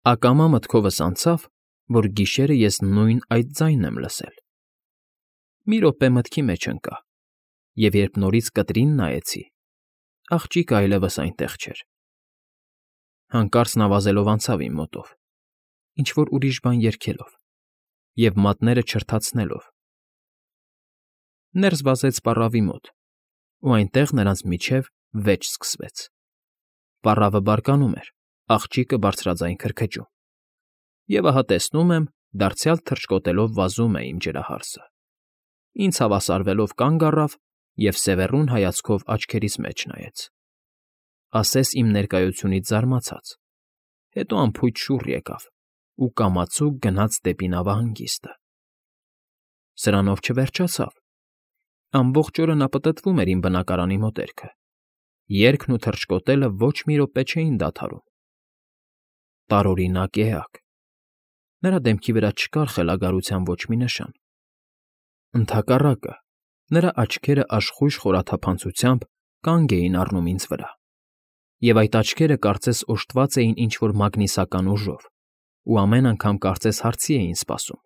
Ակամա մտքովս անցավ, որ գիշերը ես նույն այդ ձայնն եմ լսել։ Մի րոպե մտքի մեջ ընկա, և երբ նորից կտրին նայեցի, աղջիկը այլևս այնտեղ չէր։ Հանկարծ նա վազելով անցավ իմ մոտով, ինչ֊որ ուրիշ բան երգելով և մատները չրթացնելով։ Ներս վազեց պառավի մոտ, ու այնտեղ նրանց միջև վեճ սկսվեց։ Պառավը բարկանում էր, աղջիկը բարձրաձայն քրքջում։ Եվ ահա տեսնում եմ, դարձյալ թռչկոտելով վազում է իմ ջրահարսը։ Ինձ հավասարվելով կանգ առավ և սևեռուն հայացքով աչքերիս մեջ նայեց, ասես իմ ներկայությունից զարմացած, հետո անփույթ շուռ եկավ ու կամացուկ գնաց դեպի նավահանգիստը։ Սրանով չվերջացավ։ Ամբողջ օրը նա պտտվում էր իմ բնակարանի մոտերքը։ Երգն ու թռչկոտելը ոչ մի րոպե չէին դադարում։ Տարօրինակ էակ։ Նրա դեմքի վրա չկար խելագարության ոչ մի նշան։ Ընդհակառակը, նրա աչքերը աշխույժ խորաթափանցությամբ կանգ էին առնում ինձ վրա, և այդ աչքերը կարծես օժտված էին ինչ֊որ մագնիսական ուժով ու ամեն անգամ կարծես հարցի էին սպասում,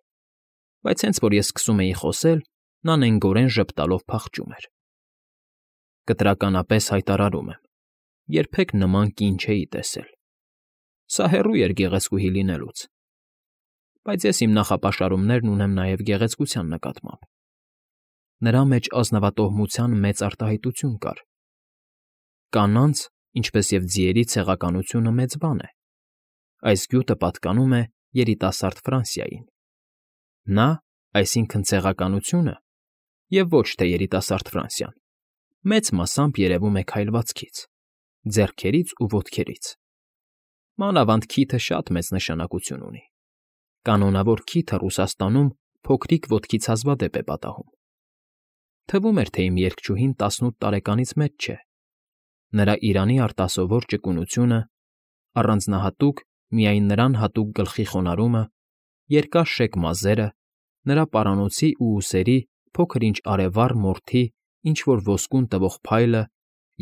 բայց հենց որ ես սկսում էի խոսել, նա նենգորեն ժպտալով փախչում էր։ Կտրականապես հայտարարում եմ, երբեք նման կին չէի տեսել։ Սա հեռու էր գեղեցկուհի լինելուց, բայց ես իմ նախապաշարումներն ունեմ նաև գեղեցկության նկատմամբ։ Նրա մեջ ազնվատոհմության մեծ արտահայտություն կար։ Կանանց, ինչպես և ձիերի ցեղականությունը մեծ բան է։ Այս գյուտը պատկանում է երիտասարդ Ֆրանսիային։ Նա, այսինքն ցեղականությունը, և ոչ թե երիտասարդ Ֆրանսիան, մեծ մասամբ երևում է քայլվածքից, ձեռքերից ու ոտքերից։ Մանավանդ քիթը շատ մեծ նշանակություն ունի։ Կանոնավոր քիթը Ռուսաստանում փոքրիկ ոտքից հազվադեպ է պատահում։ Թվում էր, թե իմ երգչուհին 18 տարեկանից մեծ չէ։ Նրա իրանի արտասովոր ճկունությունը, առանձնահատուկ, միայն նրան հատուկ գլխի խոնարհումը, երկար շեկ մազերը, նրա պարանոցի ու ուսերի փոքր֊ինչ արևառ մորթի ինչ֊որ ոսկուն տվող փայլը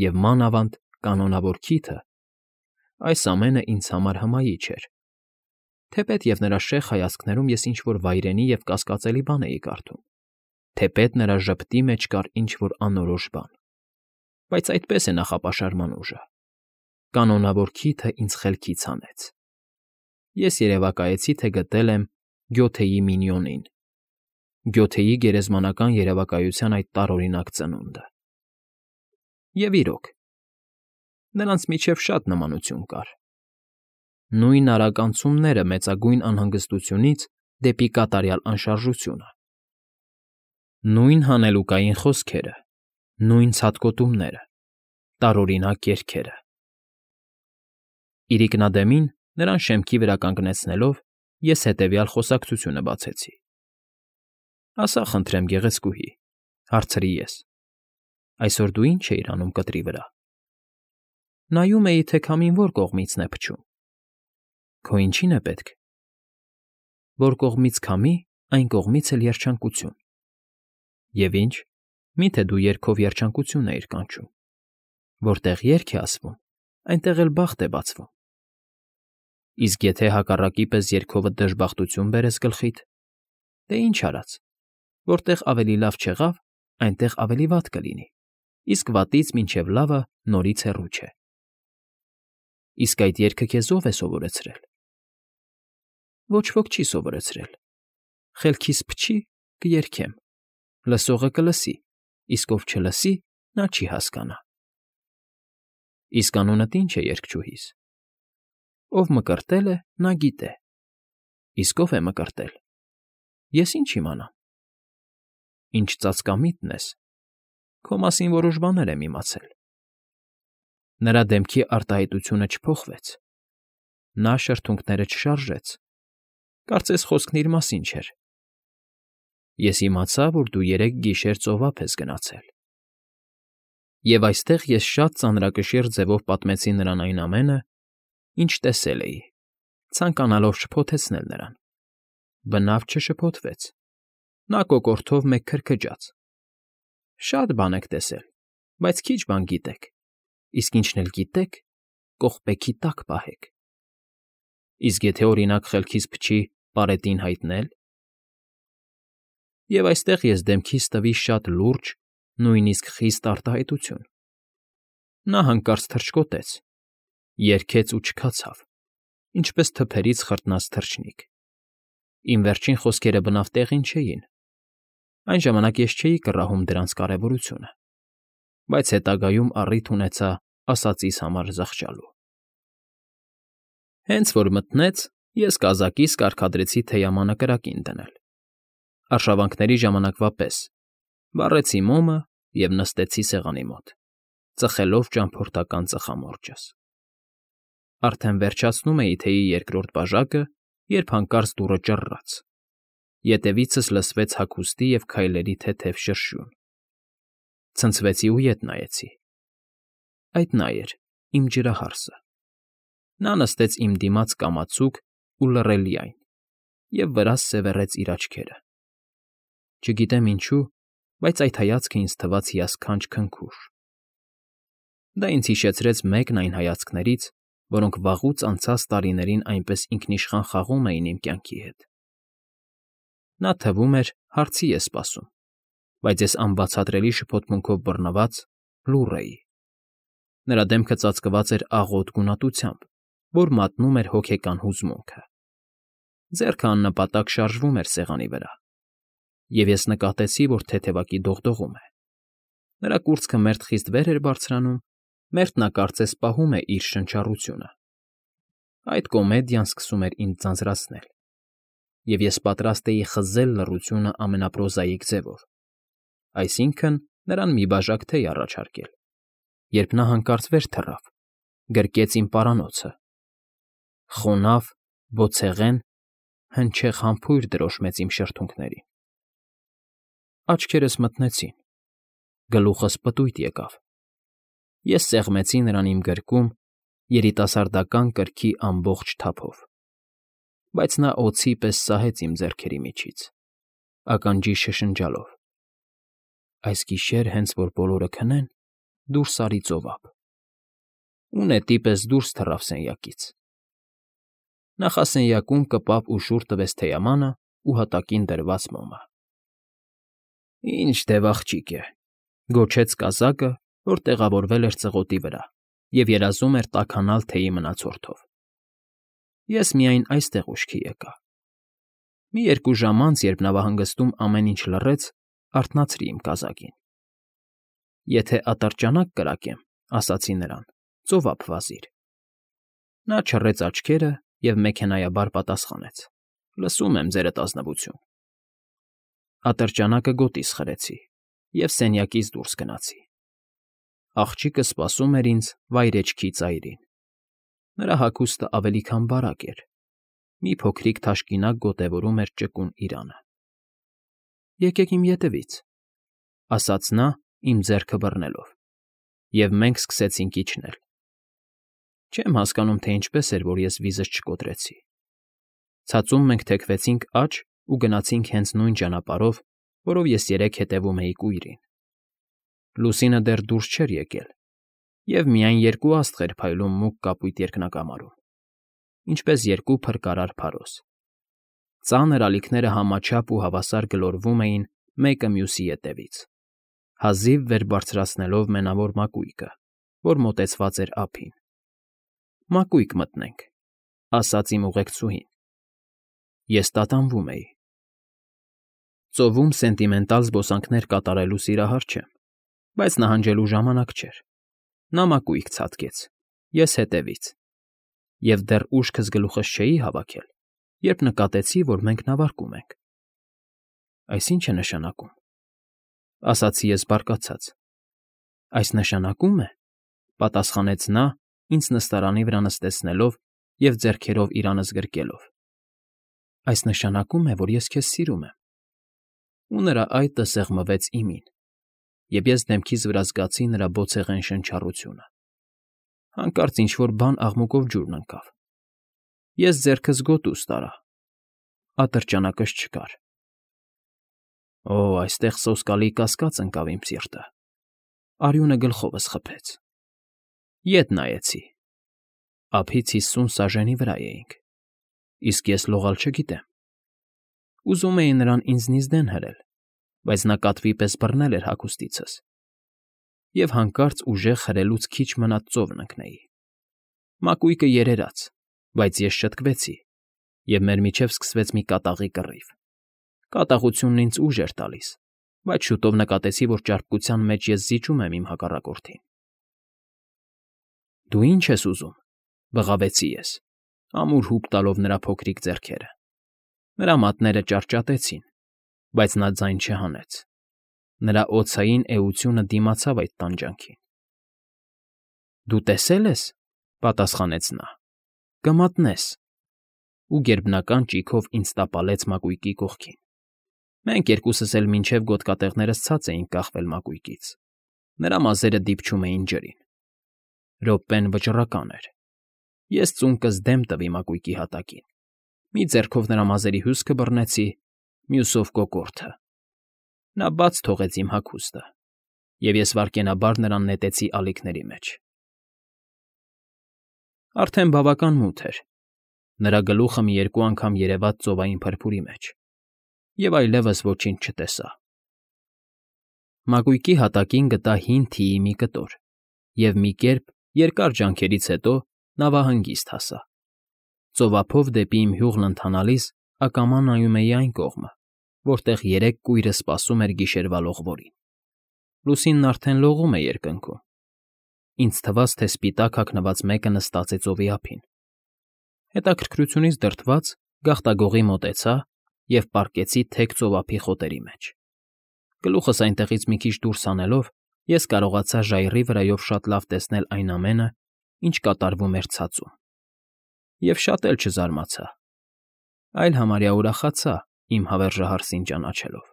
և, մանավանդ, կանոնավոր քիթը, այս ամենը ինձ համար հմայիչ էր, թեպետ և նրա շեղ հայացքներում ես ինչ֊որ վայրենի և կասկածելի բան էի կարդում, թեպետ նրա ժպտի մեջ կար ինչ֊որ անորոշ բան, բայց այդպես է նախապաշարման ուժը։ Կանոնավոր քիթը ինձ խելքից հանեց։ Ես երևակայեցի, թե գտել եմ Գյոթեի Մինիոնին, Գյոթեի գերեզմանական երևակայության այդ տարօրինակ ծնունդը։ Եվ իրոք, նրանց միջև շատ նմանություն կար։ Նույն արագ անցումները մեծագույն անհանգստությունից դեպի կատարյալ անշարժությունը։ Նույն հանելուկային խոսքերը, նույն ցատկոտումները, տարօրինակ երգերը։ Իրիկնադեմին, նրան շեմքի վրա կանգնեցնելով, ես հետևյալ խոսակցությունը բացեցի. ֊ Ասա, խնդրեմ, գեղեցկուհի,֊ հարցրի ես,֊ այսօր դու ի՞նչ էիր անում կտրի վրա։ Նայում էի, թե քամին որ կողմիցն է փչում։ Քո ինչի՞ն է պետք։ Որ կողմից քամի, այն կողմից էլ երջանկություն։ Եվ ինչ, մի՞թե դու երգով երջանկություն էիր կանչում։ Որտեղ երգ է ասվում, այնտեղ էլ բախտ է բացվում։ Իսկ եթե հակառակի պես երգովդ դժբախտություն բերես գլխիդ, դե ինչ արած, որտեղ ավելի լավ չեղավ, այնտեղ ավելի վատ կլինի, իսկ վատից մինչև լավը նորից հեռու չէ։ Իսկ այդ երգը քեզ ո՞վ է սովորեցրել։ Ոչ ոք չի սովորեցրել։ Խելքիս փչի՝ կերգեմ, լսողը կլսի, իսկ ով չլսի, նա չի հասկանա։ Իսկ անունդ ի՞նչ է երգչուհիս։ Ով մկրտել է, նա գիտե։ Իսկ ով է մկրտել։ Ես ինչ իմանամ։ Ինչ ծածկամիտն ես։ Քո մասին որոշ բաներ եմ իմացել։ Նրա դեմքի արտահայտությունը չփոխվեց։ Նա շրթունքները չշարժեց։ Կարծես խոսքն իր մասին չէր։ Ես իմացա, որ դու երեկ գիշեր ծովափ ես գնացել։ Եվ այստեղ ես շատ ծանրակշիռ ձևով պատմեցի նրան այն ամենը, ինչ տեսել էի, ցանկանալով շփոթեցնել նրան։ Բնավ չշփոթվեց։ Նա կոկորդով մեկ քրքջաց։ Շատ բան եք տեսել, բայց քիչ բան գիտեք, իսկ ինչն էլ գիտեք, կողպեքի տակ պահեք։ Իսկ եթե օրինակ խելքից փչի պարետին հայտնել… Եվ այստեղ ես դեմքիս տվի շատ լուրջ, նույնիսկ խիստ արտահայտություն. նա հանկարծ թռչկոտեց, երգեց ու չքացավ, ինչպես թփերից խրտնած թռչնիկ. իմ վերջին խոսքերը բնավ տեղին չէին, այն ժամանակ ես չէի կռահում դրանց կարևորությունը, բայց հետագայում առիթ ունեցա ասածիս համար զղջալու։ Հենց որ մտնեց, ես կազակիս կարգադրեցի թեյամանը կրակին դնել, արշավանքների ժամանակվա պես, վառեցի մոմը և նստեցի սեղանի մոտ, ծխելով ճամփորդական ծխամորճս։ Արդեն վերջացնում էի թեյի երկրորդ բաժակը, երբ հանկարծ դուռը ճռռաց, ետևիցս լսվեց հագուստի և քայլերի թեթև շրշյուն։ Ցնցվեցի ու ետ նայեցի. այդ նա էր, իմ ջրահարսը։ Նա նստեց իմ դիմաց կամացուկ ու լռելիայն և վրաս սևեռեց իր աչքերը։ Չգիտեմ ինչու, բայց այդ հայացքը ինձ թվաց հիասքանչ քնքուշ։ Դա ինձ հիշեցրեց մեկն այն հայացքներից, որոնք վաղուց անցած տարիներին այնպես ինքնիշխան խաղում էին իմ կյանքի հետ։ Նա, թվում էր, հարցի է սպասում, բայց ես անբացատրելի շփոթմունքով բռնված լուռ էի։ Նրա դեմքը ծածկված էր աղոտ գունատությամբ, որ մատնում էր հոգեկան հուզմունքը։ Ձեռքը աննպատակ շարժվում էր սեղանի վրա, և ես նկատեցի, որ թեթևակի դողդողում է։ Նրա կուրծքը մերթ խիստ վեր էր բարձրանում, մերթ նա կարծես պահում է իր շնչառությունը։ Այդ կոմեդիան սկսում էր ինձ ձանձրացնել, և ես պատրաստ էի խզել լռությունը ամենապրոզաիկ ձևով, այսինքն՝ նրան մի բաժակ թեյ առաջարկել, երբ նա հանկարծ վեր թռավ, գրկեց իմ պարանոցը, խոնավ, ոտցեղեն, հնչեղ համբույր դրոշմեց իմ շրթունքներին։ Աչքերս մթնեցին, գլուխս պտույտ եկավ։ Ես սեղմեցի նրան իմ գրկում երիտասարդական կրքի ամբողջ թափով, բայց նա օձի պես սահեց իմ ձեռքերի միջից, ականջիս շշնջալով. այս գիշեր, հենց որ բոլորը քնեն, դուրս արի ծովափ, ու նետի պես դուրս թռավ սենյակից։ Նախասենյակում կպավ ու շուռ տվեց թեյամանն ու հատակին դրված մոմը։ «Ինչ դև աղջիկ է», գոչեց կազակը, որ տեղավորվել էր ծղոտի վրա և երազում էր տաքանալ թեյի մնացորդով։ Ես միայն այստեղ ուշքի եկա։ Մի 2 ժամ անց, երբ նավահանգստում ամեն ինչ լռեց, արթնացրի իմ կազակին։ «Եթե ատրճանակ կրակեմ,֊ ասացի նրան,֊ ծովափ վազիր»։ Նա չռեց աչքերը և մեքենայաբար պատասխանեց. «Լսում եմ, Ձերդ ազնվություն»։ Ատրճանակը գոտիս խրեցի և սենյակից դուրս գնացի։ Աղջիկը սպասում էր ինձ վայրէջքի ծայրին։ Նրա հագուստը ավելի քան բարակ էր, մի փոքրիկ թաշկինակ գոտևորում էր ճկուն իրանը։ «Եկեք իմ ետևից», ֊ ասաց նա, իմ ձեռքը բռնելով, և մենք սկսեցինք իջնել։ Չեմ հասկանում, թե ինչպես էր, որ ես վիզս չկոտրեցի։ Ցածում մենք թեքվեցինք աջ ու գնացինք հենց նույն ճանապարհով, որով ես երեկ հետևում էի կույրին։ Լուսինը դեռ դուրս չէր եկել, և միայն 2 աստղեր փայլում մուգ կապույտ երկնակամարում, ինչպես 2 փրկարար փարոս։ Ծանր ալիքները համաչափ ու հավասար գլորվում էին մեկը մյուսի ետևից, հազիվ վեր բարձրացնելով մենավոր մակույկը, որ մոտեցված էր ափին։ «Մակույկ մտնենք», ֊ ասաց իմ ուղեկցուհին։ Ես տատանվում էի։ Ծովում սենտիմենտալ զբոսանքներ կատարելու սիրահար չեմ, բայց նահանջելու ժամանակ չէր։ Նա մակույկ ցատկեց, ես հետևից, և դեռ ուշքս գլուխս չէի հավաքել, երբ նկատեցի, որ մենք նավարկում ենք։ «Այս ի՞նչ է նշանակում,֊ ասացի ես բարկացած։ «Այս նշանակում է,֊ պատասխանեց նա, ինձ նստարանի վրա նստեցնելով և ձեռքերով իրանս գրկելով,֊ այս նշանակում է, որ ես քեզ սիրում եմ»։ Ու նրա այտը սեղմվեց իմին, և ես դեմքիս վրա զգացի նրա բոցեղեն շնչառությունը։ Հանկարծ ինչ֊որ բան աղմուկով ջուրն ընկավ։ Ես ձեռքս գոտուս տարա։ Ատրճանակս չկար։ Օ, այստեղ սոսկալի կասկած ընկավ իմ սիրտը։ Արյունը գլխովս խփեց։ Ետ նայեցի։ Ափից 50 սաժենի վրա էինք։ Իսկ ես լողալ չգիտեմ։ Ուզում էի նրան ինձնից դեն հրել, բայց նա կատվի պես բռնել էր հագուստիցս, և հանկարծ ուժեղ հրելուց քիչ մնաց ծովն ընկնեի։ Մակույկը երերաց, բայց ես շտկվեցի, և մեր միջև սկսվեց մի կատաղի կռիվ։ Կատաղությունն ինձ ուժ էր տալիս, բայց շուտով նկատեցի, որ ճարպկության մեջ ես զիջում եմ իմ հակառակորդին։ Դու ի՞նչ ես ուզում,֊ բղավեցի ես, ամուր հուպ տալով նրա փոքրիկ ձեռքերը։ Նրա մատները ճարճատեցին, բայց նա ձայն չհանեց։ Նրա օձային էությունը դիմացավ այդ տանջանքին։ Դու տեսե՞լ ես,֊ պատասխանեց նա,֊ կմատնես։ Ու գերբնական ճիգով ինձ տապալեց մակույկի կողքին։ Մենք երկուսս էլ մինչև գոտկատեղներս ցած էինք կախվել մակույկից։ Նրա մազերը դիպչում էին ջրին։ Րոպեն վճռական էր։ Ես ծունկս դեմ տվի մակույկի հատակին։ Մի ձեռքով նրա մազերի հյուսքը բռնեցի, մյուսով կոկորդը։ Նա բաց թողեց իմ հագուստը, և ես վայրկենաբար նրան նետեցի ալիքների մեջ։ Արդեն բավական մութ էր։ Նրա գլուխը մի երկու անգամ երևաց ծովային փրփուրի մեջ, և այլևս ոչինչ չտեսա։ Մակույկի հատակին գտա հին թիի մի կտոր, և մի կերպ երկար ջանքերից հետո նավահանգիստ հասա։ Ծովափով դեպի իմ հյուղն ընթանալիս ակամա նայում էի այն կողմը, որտեղ երեք կույրը սպասում էր գիշերվա լողվորին։ Լուսինն արդեն լողում է երկնքում։ Ինձ թվաց, թե սպիտակ հագնված մեկը նստած է ծովի ափին։ Հետաքրքրությունից դրդված գաղտագողի մոտեցա և պառկեցի թեք ծովափի խոտերի մեջ։ Գլուխս այնտեղից մի քիչ դուրս հանելով, ես կարողացա ժայռի վրայով շատ լավ տեսնել այն ամենը, ինչ կատարվում էր ցածում։ Եվ շատ էլ չզարմացա, այլ համարյա ուրախացա իմ հավերժահարսին ճանաչելով։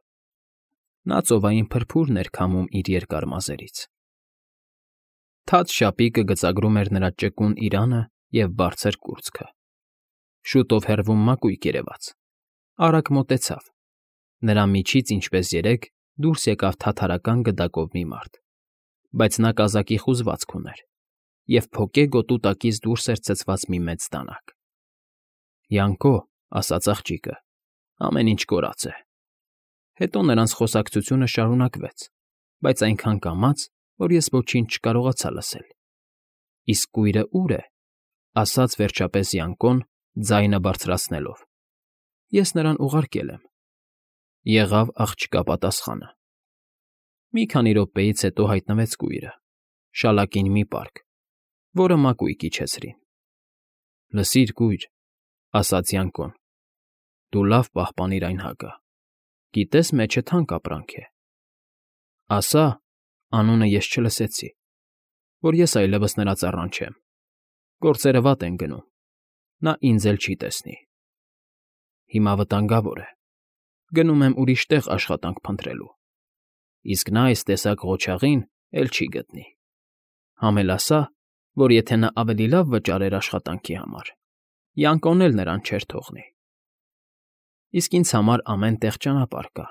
Նա ծովային փրփուրն էր քամում իր երկար մազերից։ Թաց շապիկը գծագրում էր նրա ճկուն իրանը և բարձր կուրծքը։ Շուտով հեռվում մակույկ երևաց։ Արագ մոտեցավ։ Նրա միջից, ինչպես երեկ, դուրս եկավ թաթարական գդակով մի մարդ, բայց նա կազակի խուզվածք ուներ, և փոկե գոտու տակից դուրս էր ցցված մի մեծ դանակ։ «Յանկո», ասաց աղջիկը,֊ ամեն ինչ կորած է։ Հետո նրանց խոսակցությունը շարունակվեց, բայց այնքան կամաց, որ ես ոչինչ չկարողացա լսել։ «Իսկ կույրը ո՞ւր է,֊ ասաց վերջապես Յանկոն, ձայնը բարձրացնելով։ Ես նրան ուղարկել եմ,֊ եղավ աղջկա պատասխանը։ Մի քանի րոպեից հետո հայտնվեց կույրը, շալակին մի պարկ, որը մակույկ իջեցրին։ «Լսիր, կույր,֊ ասաց Յանկոն,֊ դու լավ պահպանիր այն հակը։ Գիտես մեջը թանկ ապրանք է։ Ասա, անունը ես չլսեցի, որ ես այլևս նրա ծառան չեմ։ Գործերը վատ են գնում, նա ինձ էլ չի տեսնի։ Հիմա վտանգավոր է։ Գնում եմ ուրիշ տեղ աշխատանք փնտրելու, իսկ նա այս տեսակ ղոչաղին էլ չի գտնի։ Համել ասա, որ եթե նա ավելի լավ վճարեր աշխատանքի համար, Յանկոն էլ նրան չէր թողնի։ Իսկ ինձ համար ամեն տեղ ճանապարհ կա,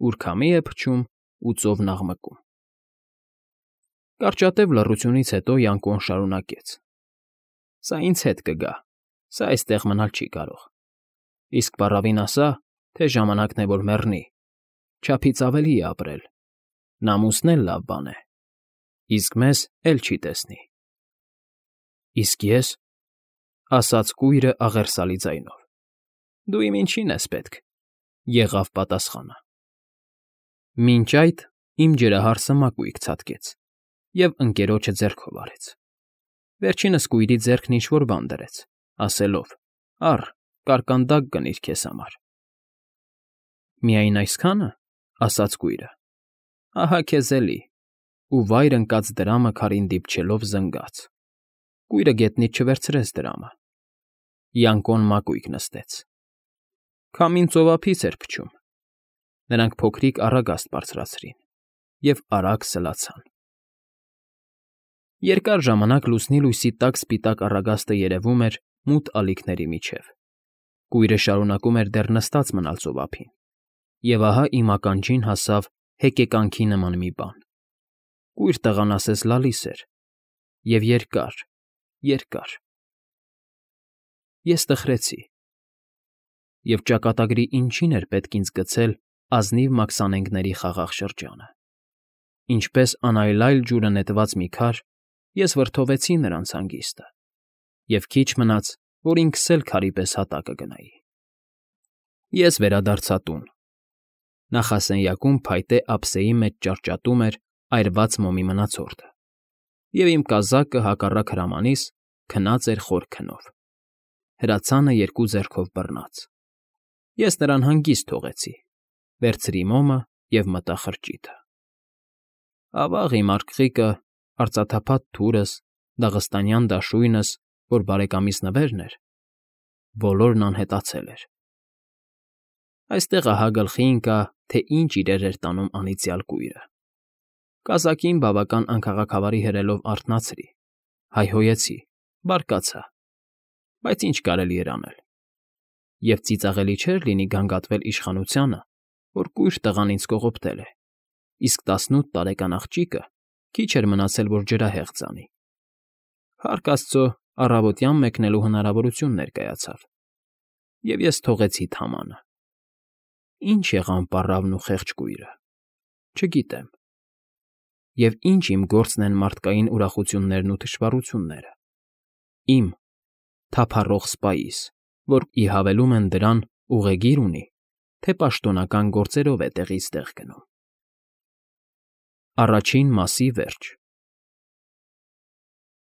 ուր քամի է փչում ու ծովն աղմկում»։ Կարճատև լռությունից հետո Յանկոն շարունակեց. «Սա ինձ հետ կգա, սա այստեղ մնալ չի կարող։ Իսկ պառավին ասա, թե ժամանակն է, որ մեռնի, չափից ավելի է ապրել, նամուսն էլ լավ բան է, իսկ մեզ էլ չի տեսնի»։ «Իսկ ես,֊ ասաց կույրը աղերսալի ձայնով,֊ դու իմ ինչին ես պետք,֊ եղավ պատասխանը։ Մինչ այդ իմ ջրահարսը մակույկ ցատկեց և ընկերոջը ձեռքով արեց։ Վերջինս կույրի ձեռքն ինչ֊որ բան դրեց, ասելով. «Առ, կարկանդակ կնիր քեզ համար»։ «Միայն այսքա՞ն,֊ ասաց կույրը։ Ահա քեզ էլի,֊ ու վայր ընկած դրամը քարին դիպչելով զնգաց։ Կույրը գետնից չվերցրեց դրամը։ Յանկոն մակույկ նստեց։ Քամին ծովափից էր փչում։ Նրանք փոքրիկ առագաստ բարձրացրին և արագ սլացան։ Երկար ժամանակ լուսնի լույսի տակ սպիտակ առագաստը երևում էր մութ ալիքների միջև։ Կույրը շարունակում էր դեռ նստած մնալ ծովափին, և ահա իմ ականջին հասավ հեկեկանքի նման մի բան։ Կույր տղան ասես լալիս էր, և երկար, երկար։ Ես տխրեցի։ և ճակատագրի ինչին էր պետք ինձ գցել ազնիվ մաքսանենգների խաղաղ շրջանը։ Ինչպես անայլայլ ջուրը նետված մի քար, ես վրդովվեցի նրանց հանգիստը, և քիչ մնաց, որ ինքս էլ քարի պես հատակը գնայի։ Ես վերադարձա տուն։ Նախասենյակում փայտե ափսեի մեջ ճարճատում էր այրված մոմի մնացորդը, և իմ կազակը հակառակ հրամանիս քնած էր խոր քնով, հրացանը երկու ձեռքով բռնած։ Ես նրան հանգիստ թողեցի, վերցրի մոմը և մտա խրճիթը։ Ավա՜ղ իմ արկղիկը, արծաթափատ թուրս, դաղստանյան դաշույնս, որ բարեկամիս նվերն էր, բոլորն անհետացել էր։ Այստեղ ահա գլխի ընկա, թե ինչ իրեր էր տանում անիծյալ կույրը։ Կազակին բավական անքաղաքավարի հրելով արթնացրի, հայհոյեցի, բարկացա, բայց ինչ կարելի էր անել։ Եվ ծիծաղելի չէր լինի գանգատվել իշխանությանը, որ կույր տղան ինձ կողոպտել է, իսկ 18 տարեկան աղջիկը քիչ էր մնացել, որ ջրահեղ ձանի։ Փառք աստծո, առավոտյան մեկնելու հնարավորություն ներկայացավ, և ես թողեցի թամանը։ Ինչ եղան պառավն ու խեղճ կույրը, չգիտեմ։ Եվ ինչ իմ գործն են մարդկային ուրախություններն ու թշվառությունները։ Իմ՝ թափառող սպայիս, որ ի հավելում են դրան ուղեգիր ունի, թե պաշտոնական գործերով է տեղից տեղ գնում։ Առաջին մասի վերջ։